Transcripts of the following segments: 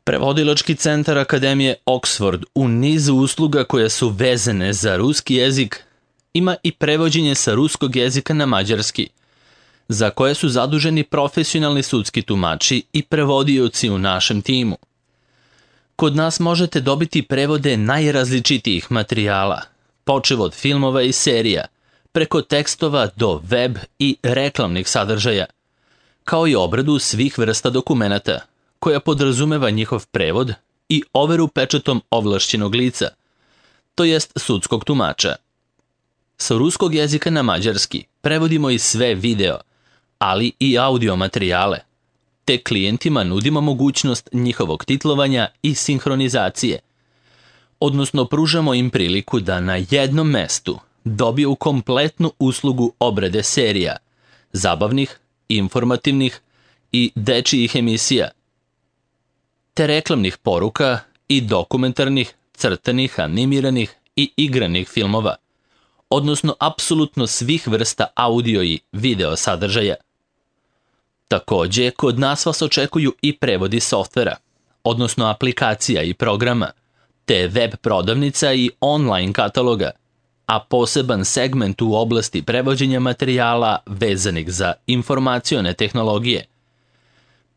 Prevodilački centar Akademije Oxford u nizu usluga koje su vezane za ruski jezik ima i prevođenje sa ruskog jezika na mađarski, za koje su zaduženi profesionalni sudski tumači i prevodioci u našem timu. Kod nas možete dobiti prevode najrazličitijih materijala, počev od filmova i serija, preko tekstova do web i reklamnih sadržaja, kao i obradu svih vrsta dokumenata, koja podrazumeva njihov prevod i overu pečatom ovlašćenog lica, to jest sudskog tumača. Sa ruskog jezika na mađarski prevodimo i sve video, ali i audio materijale, te klijentima nudimo mogućnost njihovog titlovanja i sinhronizacije, odnosno pružamo im priliku da na jednom mestu dobiju kompletnu uslugu obrade serija, zabavnih, informativnih i dečijih emisija, te reklamnih poruka i dokumentarnih, crtanih, animiranih i igranih filmova, odnosno apsolutno svih vrsta audio i video sadržaja. Takođe, kod nas vas očekuju i prevodi softvera, odnosno aplikacija i programa, te web prodavnica i online kataloga, a poseban segment u oblasti prevođenja materijala vezanih za informacione tehnologije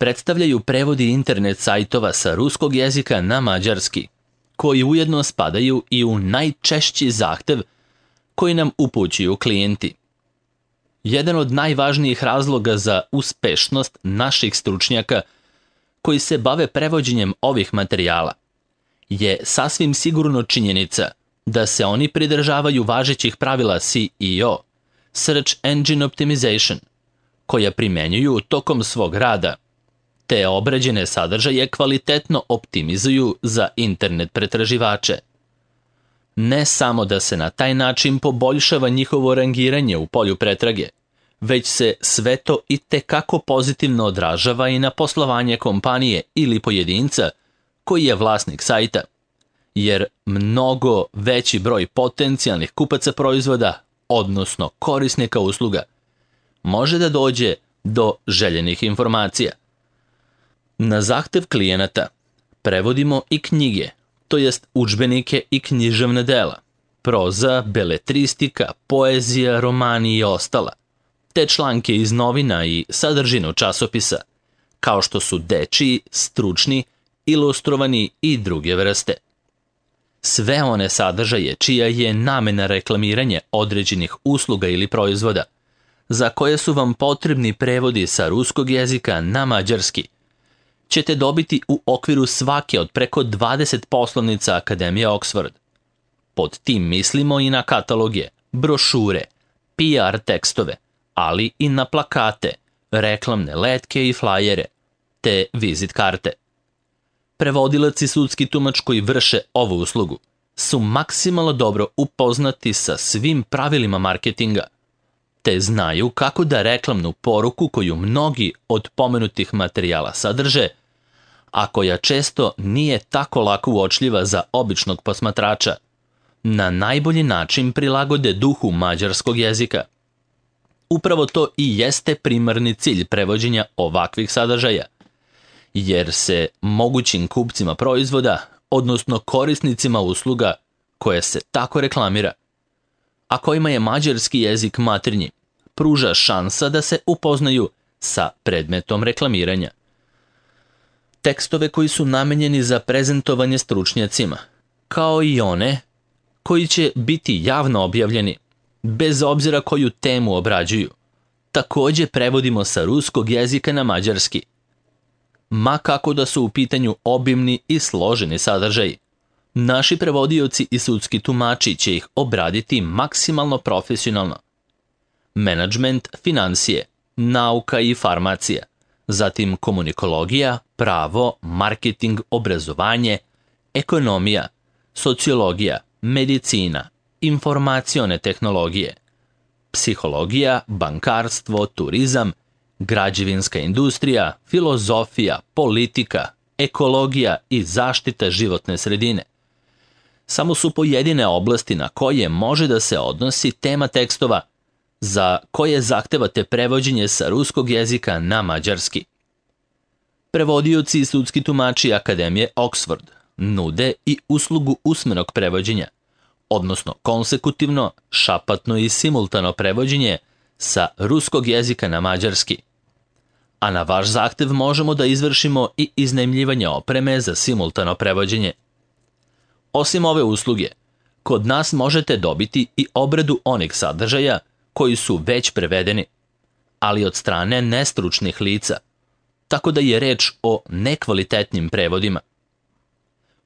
predstavljaju prevodi internet sajtova sa ruskog jezika na mađarski, koji ujedno spadaju i u najčešći zahtev koji nam upućuju klijenti. Jedan od najvažnijih razloga za uspešnost naših stručnjaka koji se bave prevođenjem ovih materijala je sasvim sigurno činjenica da se oni pridržavaju važećih pravila SEO, Search Engine Optimization, koja primenjuju tokom svog rada, te obrađene sadržaje kvalitetno optimizuju za internet pretraživače. Ne samo da se na taj način poboljšava njihovo rangiranje u polju pretrage, već se sve to i tekako pozitivno odražava i na poslovanje kompanije ili pojedinca koji je vlasnik sajta, jer mnogo veći broj potencijalnih kupaca proizvoda, odnosno korisnika usluga, može da dođe do željenih informacija. Na zahtev klijenata prevodimo i knjige, to jest udžbenike i književna dela, proza, beletristika, poezija, romani i ostala, te članke iz novina i sadržinu časopisa, kao što su dečiji, stručni, ilustrovani i druge vrste. Sve one sadržaje čija je namena reklamiranje određenih usluga ili proizvoda, za koje su vam potrebni prevodi sa ruskog jezika na mađarski, ćete dobiti u okviru svake od preko 20 poslovnica Akademije Oxford. Pod tim mislimo i na kataloge, brošure, PR tekstove, ali i na plakate, reklamne letke i flajere, te vizit karte. Prevodilac i sudski tumač koji vrše ovu uslugu su maksimalno dobro upoznati sa svim pravilima marketinga, te znaju kako da reklamnu poruku koju mnogi od pomenutih materijala sadrže, a koja često nije tako lako uočljiva za običnog posmatrača, na najbolji način prilagode duhu mađarskog jezika. Upravo to i jeste primarni cilj prevođenja ovakvih sadržaja, jer se mogućim kupcima proizvoda, odnosno korisnicima usluga koje se tako reklamira, a kojima je mađarski jezik maternji, pruža šansa da se upoznaju sa predmetom reklamiranja. Tekstove koji su namenjeni za prezentovanje stručnjacima, kao i one koji će biti javno objavljeni, bez obzira koju temu obrađuju, takođe prevodimo sa ruskog jezika na mađarski. Ma kako da su u pitanju obimni i složeni sadržaji, naši prevodioci i sudski tumači će ih obraditi maksimalno profesionalno. Menadžment, financije, nauka i farmacija, zatim komunikologija, pravo, marketing, obrazovanje, ekonomija, sociologija, medicina, informacione tehnologije, psihologija, bankarstvo, turizam, građevinska industrija, filozofija, politika, ekologija i zaštita životne sredine. Samo su pojedine oblasti na koje može da se odnosi tema tekstova za koje zahtevate prevođenje sa ruskog jezika na mađarski. Prevodioci i sudski tumači Akademije Oxford nude i uslugu usmenog prevođenja, odnosno konsekutivno, šapatno i simultano prevođenje sa ruskog jezika na mađarski. A na vaš zahtev možemo da izvršimo i iznajmljivanje opreme za simultano prevođenje. Osim ove usluge, kod nas možete dobiti i obradu onih sadržaja koji su već prevedeni, ali od strane nestručnih lica, tako da je reč o nekvalitetnim prevodima.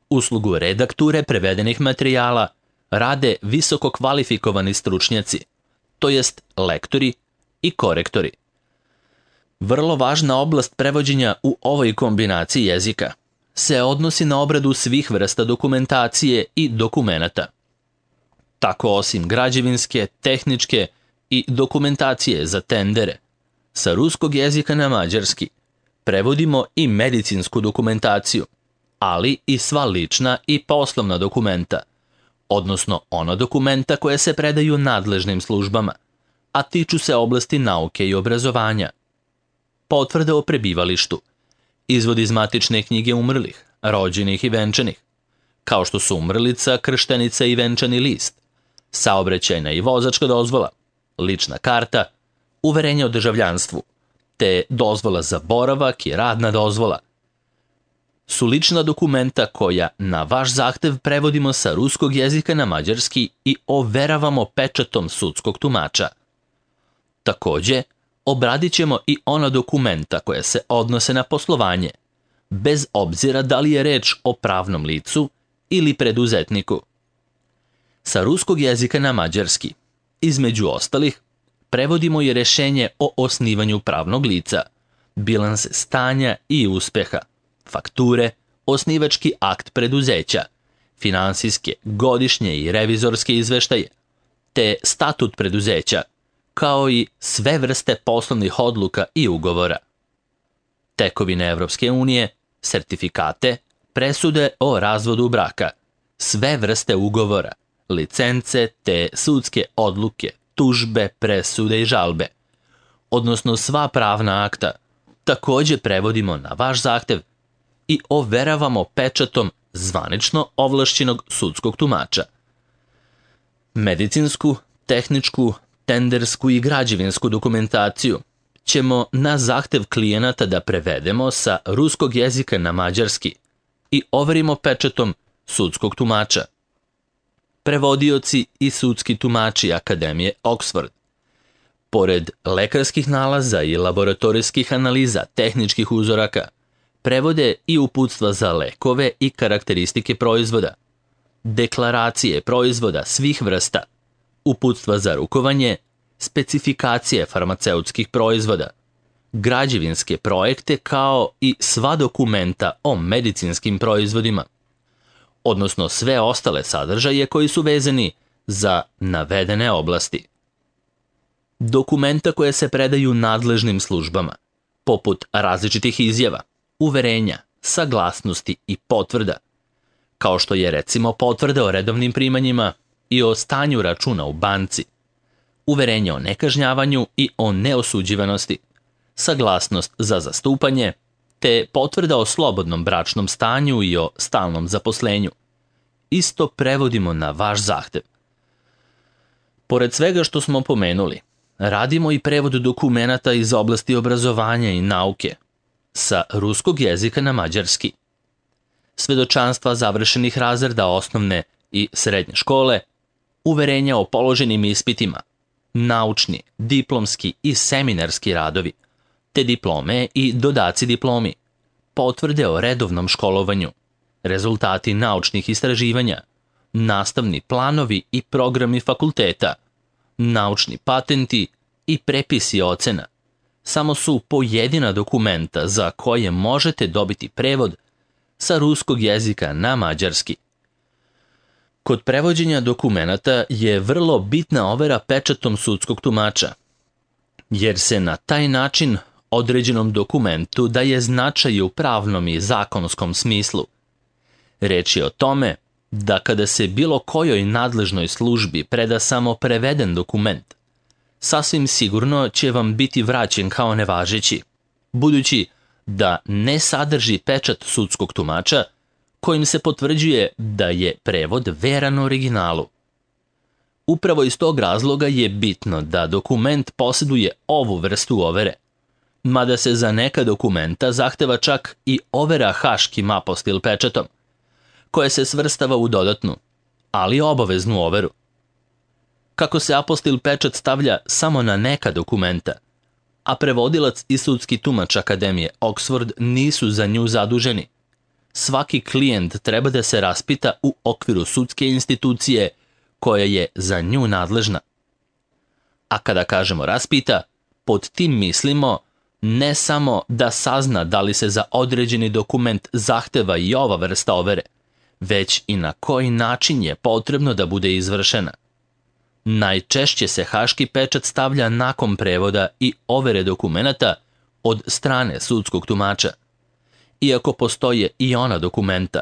Uslugu redakture prevedenih materijala rade visoko kvalifikovani stručnjaci, to jest lektori i korektori. Vrlo važna oblast prevođenja u ovoj kombinaciji jezika se odnosi na obradu svih vrsta dokumentacije i dokumenata. Tako osim građevinske, tehničke i dokumentacije za tendere, sa ruskog jezika na mađarski prevodimo i medicinsku dokumentaciju, ali i sva lična i poslovna dokumenta, odnosno ona dokumenta koje se predaju nadležnim službama, a tiču se oblasti nauke i obrazovanja. Potvrde o prebivalištu, izvod iz matične knjige umrlih, rođenih i venčanih, kao što su umrlica, krštenica i venčani list, saobraćajna i vozačka dozvola, lična karta, uverenje o državljanstvu, te dozvola za boravak i radna dozvola, su lična dokumenta koja na vaš zahtev prevodimo sa ruskog jezika na mađarski i overavamo pečatom sudskog tumača. Takođe, obradit ćemo i ona dokumenta koja se odnose na poslovanje, bez obzira da li je reč o pravnom licu ili preduzetniku. Sa ruskog jezika na mađarski, između ostalih, prevodimo i rešenje o osnivanju pravnog lica, bilanse stanja i uspeha, fakture, osnivački akt preduzeća, finansijske, godišnje i revizorske izveštaje, te statut preduzeća, kao i sve vrste poslovnih odluka i ugovora. Tekovine Evropske unije, sertifikate, presude o razvodu braka, sve vrste ugovora, licence te sudske odluke, tužbe, presude i žalbe, odnosno sva pravna akta, takođe prevodimo na vaš zahtev i overavamo pečatom zvanično ovlašćenog sudskog tumača. Medicinsku, tehničku, tendersku i građevinsku dokumentaciju ćemo na zahtev klijenata da prevedemo sa ruskog jezika na mađarski i overimo pečatom sudskog tumača. Prevodioci i sudski tumači Akademije Oxford, pored lekarskih nalaza i laboratorijskih analiza tehničkih uzoraka, prevode i uputstva za lekove i karakteristike proizvoda, deklaracije proizvoda svih vrsta, uputstva za rukovanje, specifikacije farmaceutskih proizvoda, građevinske projekte kao i sva dokumenta o medicinskim proizvodima, odnosno sve ostale sadržaje koji su vezani za navedene oblasti. Dokumenta koje se predaju nadležnim službama, poput različitih izjava, uverenja, saglasnosti i potvrda, kao što je recimo potvrda o redovnim primanjima i o stanju računa u banci, uverenje o nekažnjavanju i o neosuđivanosti, saglasnost za zastupanje, te potvrda o slobodnom bračnom stanju i o stalnom zaposlenju. Isto prevodimo na vaš zahtev. Pored svega što smo pomenuli, radimo i prevod dokumenata iz oblasti obrazovanja i nauke, sa ruskog jezika na mađarski. Svedočanstva završenih razreda osnovne i srednje škole, uverenja o položenim ispitima, naučni, diplomski i seminarski radovi, te diplome i dodaci diplomi, potvrde o redovnom školovanju, rezultati naučnih istraživanja, nastavni planovi i programi fakulteta, naučni patenti i prepisi ocena, samo su pojedina dokumenta za koje možete dobiti prevod sa ruskog jezika na mađarski. Kod prevođenja dokumenata je vrlo bitna overa pečatom sudskog tumača, jer se na taj način određenom dokumentu daje značaj u pravnom i zakonskom smislu. Reč je o tome da kada se bilo kojoj nadležnoj službi preda samo preveden dokument, sasvim sigurno će vam biti vraćen kao nevažeći, budući da ne sadrži pečat sudskog tumača kojim se potvrđuje da je prevod veran originalu. Upravo iz tog razloga je bitno da dokument posjeduje ovu vrstu overe, mada se za neka dokumenta zahteva čak i overa haškim apostil pečatom, koja se svrstava u dodatnu, ali obaveznu overu. Kako se apostil pečat stavlja samo na neka dokumenta, a prevodilac i sudski tumač Akademije Oxford nisu za nju zaduženi, svaki klijent treba da se raspita u okviru sudske institucije koja je za nju nadležna. A kada kažemo raspita, pod tim mislimo ne samo da sazna da li se za određeni dokument zahteva i ova vrsta overe, već i na koji način je potrebno da bude izvršena. Najčešće se haški pečat stavlja nakon prevoda i overe dokumenata od strane sudskog tumača, iako postoje i ona dokumenta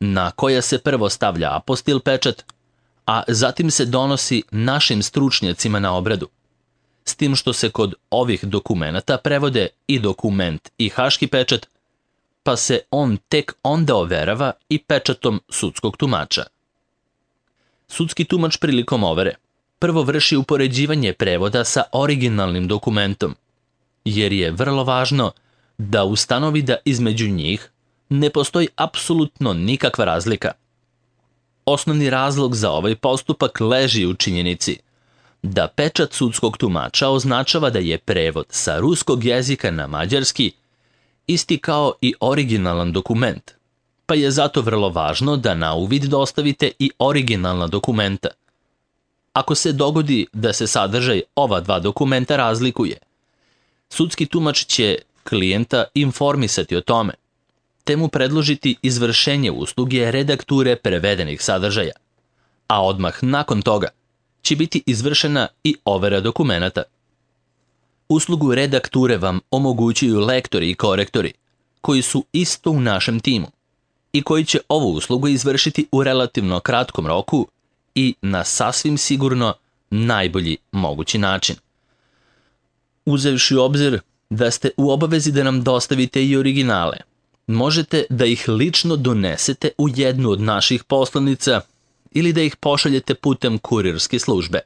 na koja se prvo stavlja apostil pečat, a zatim se donosi našim stručnjacima na obradu, s tim što se kod ovih dokumenata prevode i dokument i haški pečat, pa se on tek onda overava i pečatom sudskog tumača. Sudski tumač prilikom overe prvo vrši upoređivanje prevoda sa originalnim dokumentom, jer je vrlo važno da ustanovi da između njih ne postoji apsolutno nikakva razlika. Osnovni razlog za ovaj postupak leži u činjenici da pečat sudskog tumača označava da je prevod sa ruskog jezika na mađarski isti kao i originalan dokument, pa je zato vrlo važno da na uvid dostavite i originalna dokumenta. Ako se dogodi da se sadržaj ova dva dokumenta razlikuje, sudski tumač će klijenta informisati o tome, te mu predložiti izvršenje usluge redakture prevedenih sadržaja, a odmah nakon toga će biti izvršena i overa dokumenata. Uslugu redakture vam omogućuju lektori i korektori, koji su isto u našem timu i koji će ovu uslugu izvršiti u relativno kratkom roku i na sasvim sigurno najbolji mogući način. Uzevši u obzir da ste u obavezi da nam dostavite i originale, možete da ih lično donesete u jednu od naših poslanica ili da ih pošaljete putem kurirske službe,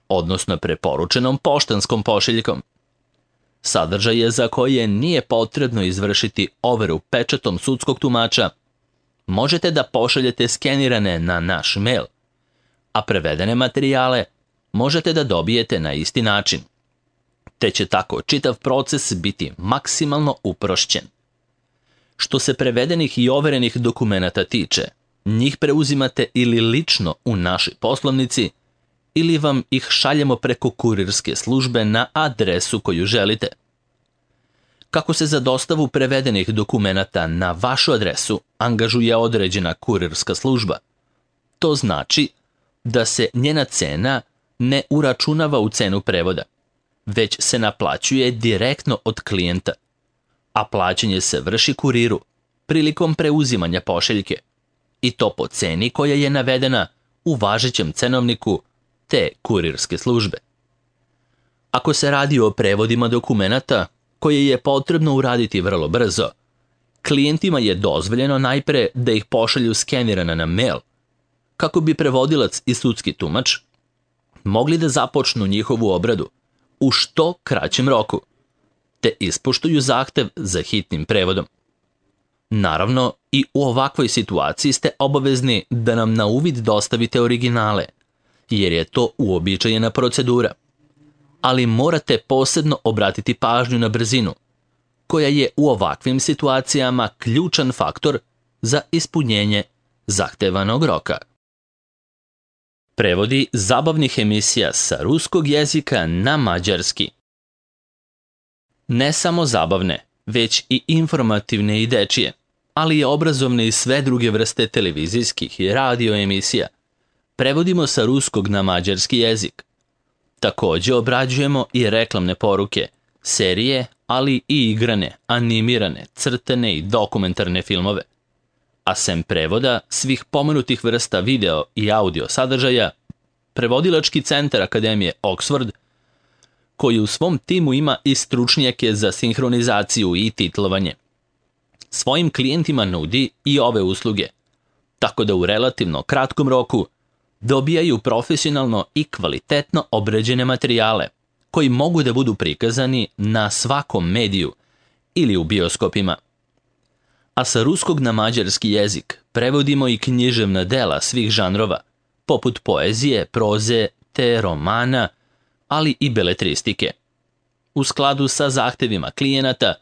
odnosno preporučenom poštanskom pošiljkom. Sadržaje za koje nije potrebno izvršiti overu pečatom sudskog tumača možete da pošaljete skenirane na naš mail, a prevedene materijale možete da dobijete na isti način, te će tako čitav proces biti maksimalno uprošćen. Što se prevedenih i overenih dokumenata tiče, njih preuzimate ili lično u našoj poslovnici, ili vam ih šaljemo preko kurirske službe na adresu koju želite. Kako se za dostavu prevedenih dokumenata na vašu adresu angažuje određena kurirska služba, to znači da se njena cena ne uračunava u cenu prevoda, već se naplaćuje direktno od klijenta, a plaćanje se vrši kuriru prilikom preuzimanja pošiljke, i to po ceni koja je navedena u važećem cenovniku te kurirske službe. Ako se radi o prevodima dokumenata koje je potrebno uraditi vrlo brzo, klijentima je dozvoljeno najpre da ih pošalju skenirana na mail, kako bi prevodilac i sudski tumač mogli da započnu njihovu obradu u što kraćem roku, te ispoštuju zahtev za hitnim prevodom. Naravno, i u ovakvoj situaciji ste obavezni da nam na uvid dostavite originale, jer je to uobičajena procedura. Ali morate posebno obratiti pažnju na brzinu, koja je u ovakvim situacijama ključan faktor za ispunjenje zahtevanog roka. Prevodi zabavnih emisija sa ruskog jezika na mađarski. Ne samo zabavne, već i informativne i dečije, ali i obrazovne i sve druge vrste televizijskih i radio emisija prevodimo sa ruskog na mađarski jezik. Također obrađujemo i reklamne poruke, serije, ali i igrane, animirane, crtene i dokumentarne filmove. A sem prevoda svih pomenutih vrsta video i audio sadržaja, Prevodilački centar Akademije Oxford koji u svom timu ima i stručnjake za sinhronizaciju i titlovanje. Svojim klijentima nudi i ove usluge, tako da u relativno kratkom roku dobijaju profesionalno i kvalitetno obrađene materijale koji mogu da budu prikazani na svakom mediju ili u bioskopima. A sa ruskog na mađarski jezik prevodimo i književna dela svih žanrova, poput poezije, proze te romana, ali i beletristike. U skladu sa zahtevima klijenata,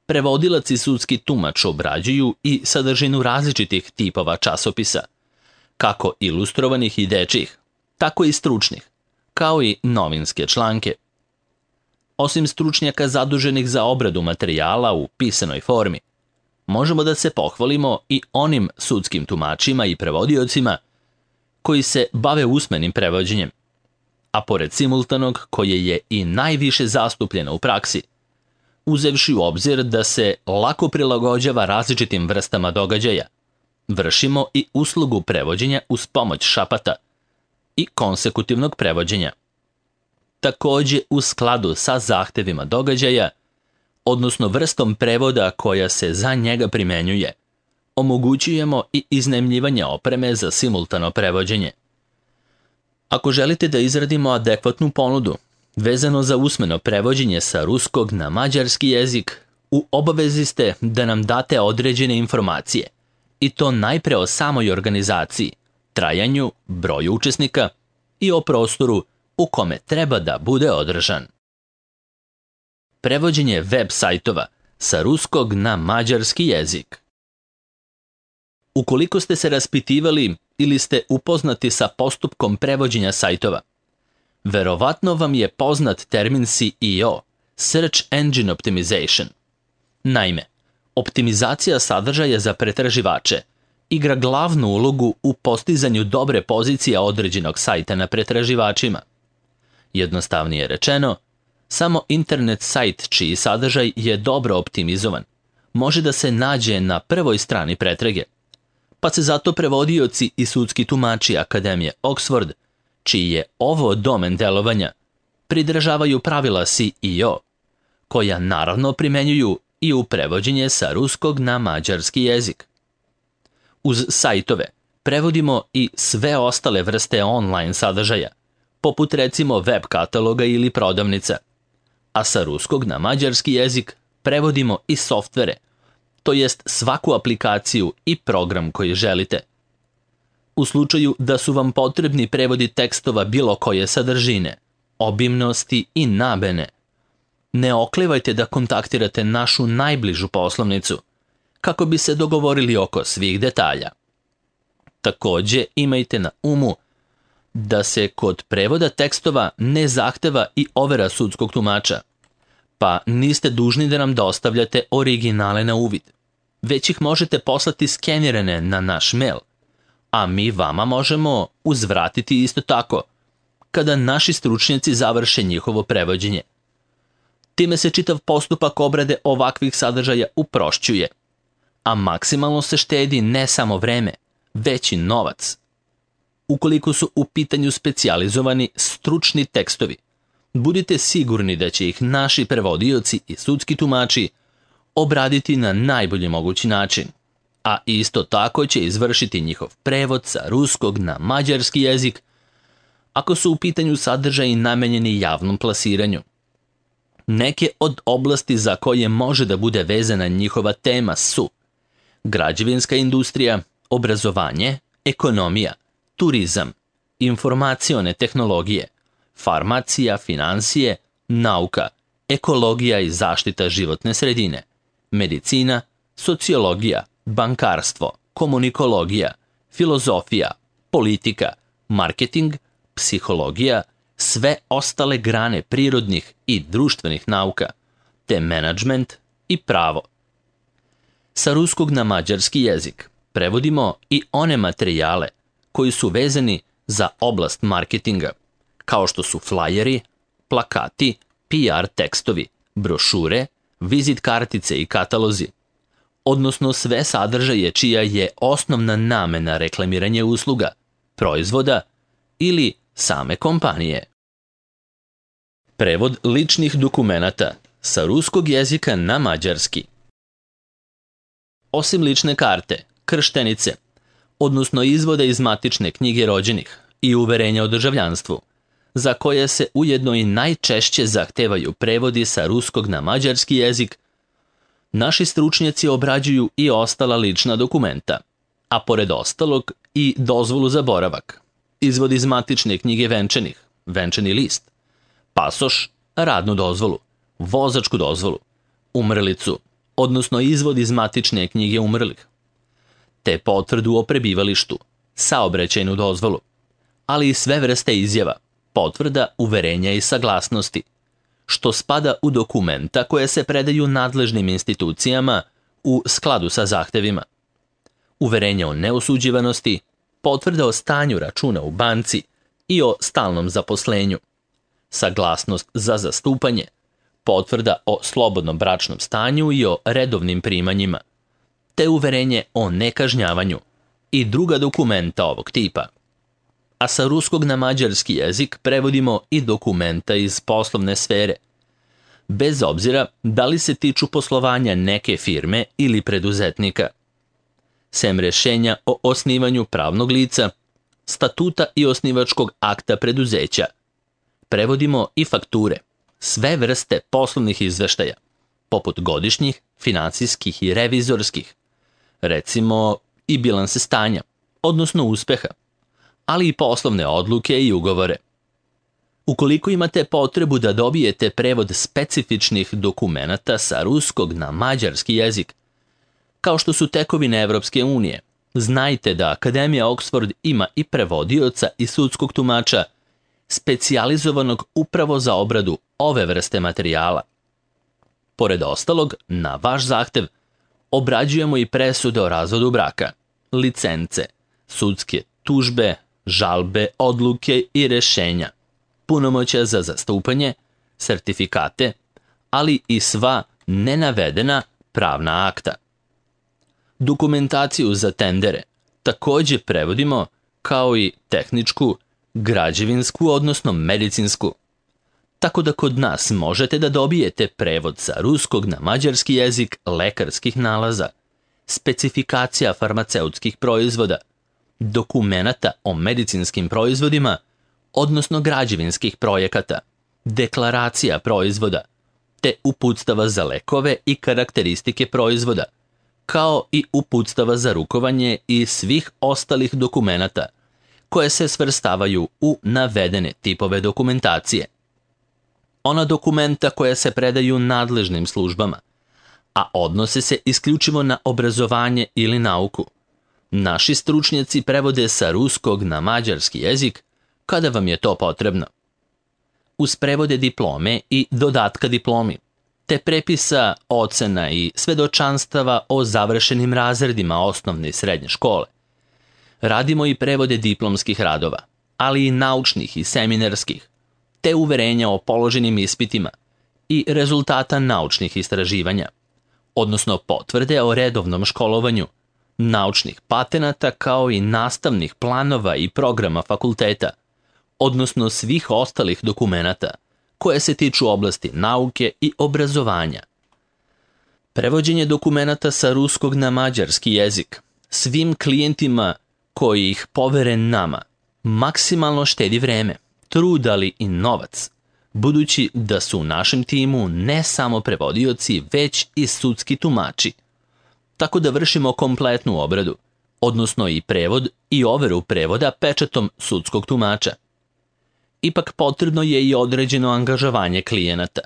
prevodilac i sudski tumač obrađuju i sadržinu različitih tipova časopisa, kako ilustrovanih i dečjih, tako i stručnih, kao i novinske članke. Osim stručnjaka zaduženih za obradu materijala u pisanoj formi, možemo da se pohvalimo i onim sudskim tumačima i prevodiocima koji se bave usmenim prevođenjem, a pored simultanog koje je i najviše zastupljeno u praksi, uzevši u obzir da se lako prilagođava različitim vrstama događaja, vršimo i uslugu prevođenja uz pomoć šapata i konsekutivnog prevođenja. Takođe, u skladu sa zahtevima događaja, odnosno vrstom prevoda koja se za njega primenjuje, omogućujemo i iznajmljivanje opreme za simultano prevođenje. Ako želite da izradimo adekvatnu ponudu vezano za usmeno prevođenje sa ruskog na mađarski jezik, u obavezi ste da nam date određene informacije, i to najpre o samoj organizaciji, trajanju, broju učesnika i o prostoru u kome treba da bude održan. Prevođenje web sajtova sa ruskog na mađarski jezik. Ukoliko ste se raspitivali ili ste upoznati sa postupkom prevođenja sajtova, verovatno vam je poznat termin SEO, Search Engine Optimization. Naime, optimizacija sadržaja za pretraživače igra glavnu ulogu u postizanju dobre pozicije određenog sajta na pretraživačima. Jednostavnije rečeno, samo internet sajt čiji sadržaj je dobro optimizovan može da se nađe na prvoj strani pretrage, pa se zato prevodioci i sudski tumači Akademije Oxford, čiji je ovo domen delovanja, pridržavaju pravila SEO, koja naravno primenjuju i u prevođenje sa ruskog na mađarski jezik. Uz sajtove prevodimo i sve ostale vrste online sadržaja, poput recimo web kataloga ili prodavnica, a sa ruskog na mađarski jezik prevodimo i softvere, to jest svaku aplikaciju i program koji želite. U slučaju da su vam potrebni prevodi tekstova bilo koje sadržine, obimnosti i nabene, ne oklevajte da kontaktirate našu najbližu poslovnicu, kako bi se dogovorili oko svih detalja. Takođe, imajte na umu da se kod prevoda tekstova ne zahteva i overa sudskog tumača, pa niste dužni da nam dostavljate originale na uvid, već ih možete poslati skenirane na naš mail, a mi vama možemo uzvratiti isto tako, kada naši stručnjaci završe njihovo prevođenje. Time se čitav postupak obrade ovakvih sadržaja uprošćuje, a maksimalno se štedi ne samo vreme, već i novac. Ukoliko su u pitanju specijalizovani stručni tekstovi, budite sigurni da će ih naši prevodioci i sudski tumači obraditi na najbolji mogući način, a isto tako će izvršiti njihov prevod sa ruskog na mađarski jezik ako su u pitanju sadržaji namenjeni javnom plasiranju. Neke od oblasti za koje može da bude vezana njihova tema su građevinska industrija, obrazovanje, ekonomija, turizam, informacione tehnologije, farmacija, finansije, nauka, ekologija i zaštita životne sredine, medicina, sociologija, bankarstvo, komunikologija, filozofija, politika, marketing, psihologija, sve ostale grane prirodnih i društvenih nauka, te menadžment i pravo. Sa ruskog na mađarski jezik prevodimo i one materijale koji su vezani za oblast marketinga, kao što su flajeri, plakati, PR tekstovi, brošure, vizit kartice i katalozi, odnosno sve sadržaje čija je osnovna namena reklamiranje usluga, proizvoda ili same kompanije. Prevod ličnih dokumenata sa ruskog jezika na mađarski. Osim lične karte, krštenice, odnosno izvoda iz matične knjige rođenih i uverenja o državljanstvu, za koje se ujedno i najčešće zahtevaju prevodi sa ruskog na mađarski jezik, naši stručnjaci obrađuju i ostala lična dokumenta, a pored ostalog i dozvolu za boravak, izvod iz matične knjige venčanih, venčani list, pasoš, radnu dozvolu, vozačku dozvolu, umrlicu, odnosno izvod iz matične knjige umrlih, te potvrdu o prebivalištu, saobraćajnu dozvolu, ali i sve vrste izjava, potvrda, uverenja i saglasnosti, što spada u dokumenta koje se predaju nadležnim institucijama u skladu sa zahtevima. Uverenja o neosuđivanosti, potvrda o stanju računa u banci i o stalnom zaposlenju, saglasnost za zastupanje, potvrda o slobodnom bračnom stanju i o redovnim primanjima, te uverenje o nekažnjavanju i druga dokumenta ovog tipa. A sa ruskog na mađarski jezik prevodimo i dokumenta iz poslovne sfere, bez obzira da li se tiču poslovanja neke firme ili preduzetnika. Sem rješenja o osnivanju pravnog lica, statuta i osnivačkog akta preduzeća, prevodimo i fakture, sve vrste poslovnih izveštaja, poput godišnjih, financijskih i revizorskih, recimo i bilanse stanja, odnosno uspeha, ali i poslovne odluke i ugovore. Ukoliko imate potrebu da dobijete prevod specifičnih dokumenata sa ruskog na mađarski jezik, kao što su tekovine Evropske unije, znajte da Akademija Oxford ima i prevodioca i sudskog tumača, specijalizovanog upravo za obradu ove vrste materijala. Pored ostalog, na vaš zahtev, obrađujemo i presude o razvodu braka, licence, sudske tužbe, žalbe, odluke i rješenja, punomoćja za zastupanje, sertifikate, ali i sva nenavedena pravna akta. Dokumentaciju za tendere također prevodimo kao i tehničku, građevinsku, odnosno medicinsku. Tako da kod nas možete da dobijete prevod sa ruskog na mađarski jezik lekarskih nalaza, specifikacija farmaceutskih proizvoda, dokumenata o medicinskim proizvodima, odnosno građevinskih projekata, deklaracija proizvoda, te uputstava za lekove i karakteristike proizvoda, kao i uputstava za rukovanje i svih ostalih dokumenata koje se svrstavaju u navedene tipove dokumentacije. Ona dokumenta koja se predaju nadležnim službama, a odnose se isključivo na obrazovanje ili nauku, naši stručnjaci prevode sa ruskog na mađarski jezik kada vam je to potrebno. Uz prevode diplome i dodatka diplomi, te prepisa, ocena i svedočanstava o završenim razredima osnovne i srednje škole, radimo i prevode diplomskih radova, ali i naučnih i seminarskih, te uverenja o položenim ispitima i rezultata naučnih istraživanja, odnosno potvrde o redovnom školovanju, naučnih patenata kao i nastavnih planova i programa fakulteta, odnosno svih ostalih dokumenata koje se tiču oblasti nauke i obrazovanja. Prevođenje dokumenata sa ruskog na mađarski jezik svim klijentima koji ih povere nama maksimalno štedi vreme, trud, ali i novac, budući da su u našem timu ne samo prevodioci, već i sudski tumači. Tako da vršimo kompletnu obradu, odnosno i prevod i overu prevoda pečatom sudskog tumača. Ipak potrebno je i određeno angažovanje klijenata.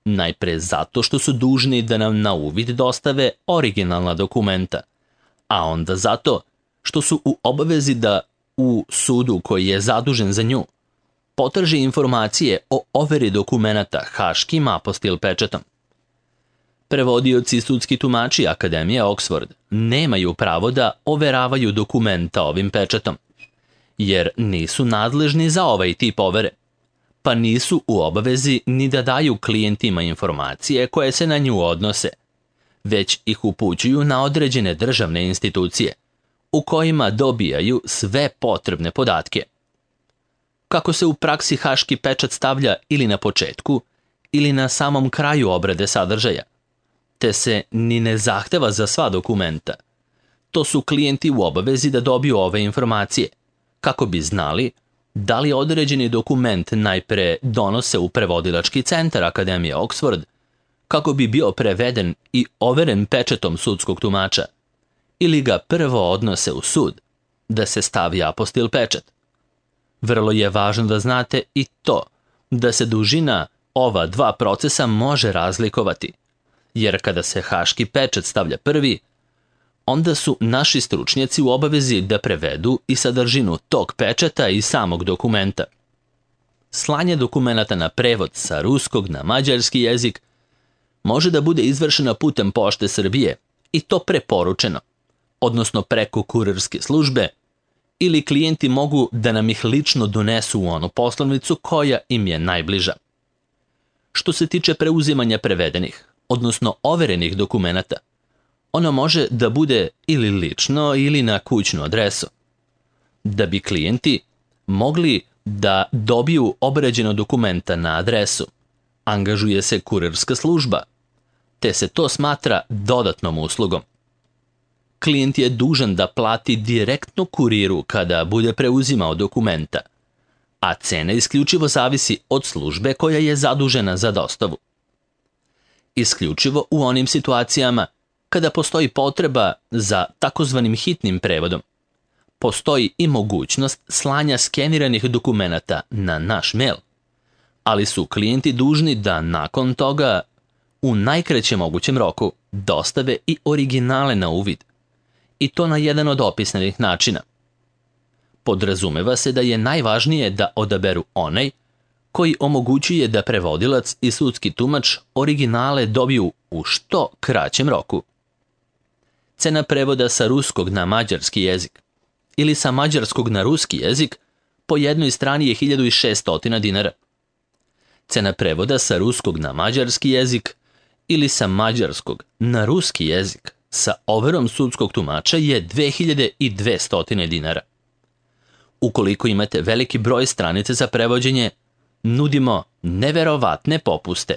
Najpre zato što su dužni da nam na uvid dostave originalna dokumenta, a onda zato što su u obavezi da u sudu koji je zadužen za nju potraži informacije o overi dokumenata haškim apostil pečatom. Prevodioci i sudski tumači Akademije Oxford nemaju pravo da overavaju dokumenta ovim pečatom, jer nisu nadležni za ovaj tip overe, pa nisu u obavezi ni da daju klijentima informacije koje se na nju odnose, već ih upućuju na određene državne institucije, u kojima dobijaju sve potrebne podatke. kako se u praksi haški pečat stavlja ili na početku ili na samom kraju obrade sadržaja, te se ni ne zahteva za sva dokumenta. To su klijenti u obavezi da dobiju ove informacije, kako bi znali da li određeni dokument najpre donose u prevodilački centar Akademije Oxford, kako bi bio preveden i overen pečatom sudskog tumača, ili ga prvo odnose u sud, da se stavi apostil pečat. Vrlo je važno da znate i to da se dužina ova dva procesa može razlikovati, jer kada se haški pečat stavlja prvi, onda su naši stručnjaci u obavezi da prevedu i sadržinu tog pečata i samog dokumenta. Slanje dokumenata na prevod sa ruskog na mađarski jezik može da bude izvršena putem Pošte Srbije i to preporučeno, odnosno preko kurirske službe, ili klijenti mogu da nam ih lično donesu u onu poslovnicu koja im je najbliža. Što se tiče preuzimanja prevedenih, odnosno overenih dokumenata, ono može da bude ili lično ili na kućnu adresu. Da bi klijenti mogli da dobiju obrađeno dokumenta na adresu, angažuje se kurirska služba, te se to smatra dodatnom uslugom. Klijent je dužan da plati direktno kuriru kada bude preuzimao dokumenta, a cena isključivo zavisi od službe koja je zadužena za dostavu. Isključivo u onim situacijama kada postoji potreba za takozvanim hitnim prevodom, postoji i mogućnost slanja skeniranih dokumenata na naš mail, ali su klijenti dužni da nakon toga u najkraćem mogućem roku dostave i originale na uvid, i to na jedan od opisanih načina. Podrazumeva se da je najvažnije da odaberu onaj koji omogućuje da prevodilac i sudski tumač originale dobiju u što kraćem roku. Cena prevoda sa ruskog na mađarski jezik ili sa mađarskog na ruski jezik po jednoj strani je 1600 dinara. Cena prevoda sa ruskog na mađarski jezik ili sa mađarskog na ruski jezik sa overom sudskog tumača je 2200 dinara. Ukoliko imate veliki broj stranica za prevođenje, nudimo neverovatne popuste.